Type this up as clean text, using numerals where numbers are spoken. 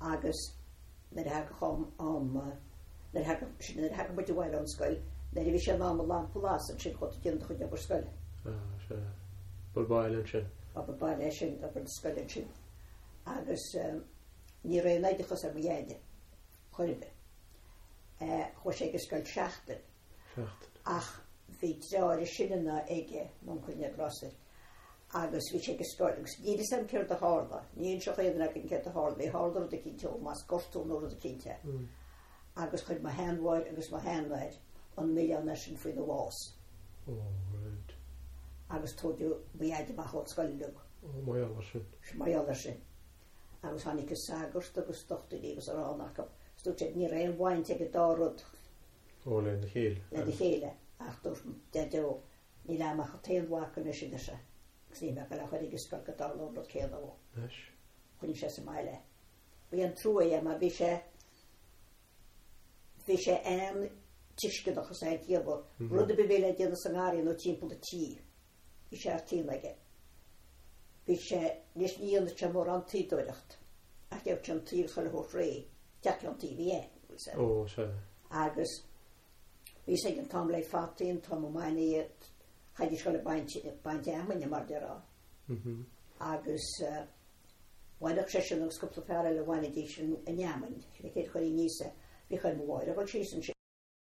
Agus nuair a thagadh am, am, nuair a thagadh, sin nuair a thagadh muid abhaile ón scoil, nuair a bhí sé in am an lampa a lasadh ansin chuaigh tú ag déanamh do chuid obair scoile. Ah, sea. Obair baile ansin. Obair baile é sin, obair na scoile ansin. Agus ní raibh aon oideachas ar mo dheaide, chor ar bith. Chuaigh sé ag an scoil seachtain. Seachtain. Ach bhí deartháir is sine ná aige, m'uncail Ned Rosser, agus bhí sé ag an scoil agus níl fhios agam céard a tharla, ní inseodh aon duine againn céard a tharla, bhí tharla rud eicínt dó, más gortú nó rud eicínt é. Agus chuir mo sheanmháthair agus mo sheanathair an milleán air sin faoina bhás. Oh, right. Agus tóigeadh mo dhaid amach ón scoil uilig. Oh, mar gheall air sin. Mar gheall air sin. Agus tháinig an sagart agus dochtúirí agus a rán acu. Is dúirt siad ní raibh aon bhaint ag an dá rud. Ó, lena chéile. Lena chéile. Ach dúirt Deaideo, níl a'm ach an t-aon mhac anois, a deir sé, agus níl mé ag goil á chur ag an scoil go dtarlódh an rud céanna dhó. Anois. Choinnigh sé sa mbaile é. Ba an-trua é mar bhí sé, bhí sé an-tuisceanach is an-chiallmhar. Rud ar bith a bhí le déanamh sa ngarraí nó timpeall an tí, bhí sé thar cionn aige. Bhí sé, anois ní dhéanadh sé mórán tuíodóireacht ach gheobhadh sé an tuí agus chuile shórt réidh, teach ceann tuí a bhí ann, bhfuil 'fhios a'd. Ó, sea. Agus bhí 'fhios ag an t-am le fataí, an t-am a mbainfí iad, chaithfidís dul ag baint, baint fheamainne mar déarfá. Agus bhainfeadh seisean agus cúpla fear eile bhainfidís an fheamainn, sin an chéad chuirí aníos é. Bhíodh ar mo mháthair a dhul síos ansin.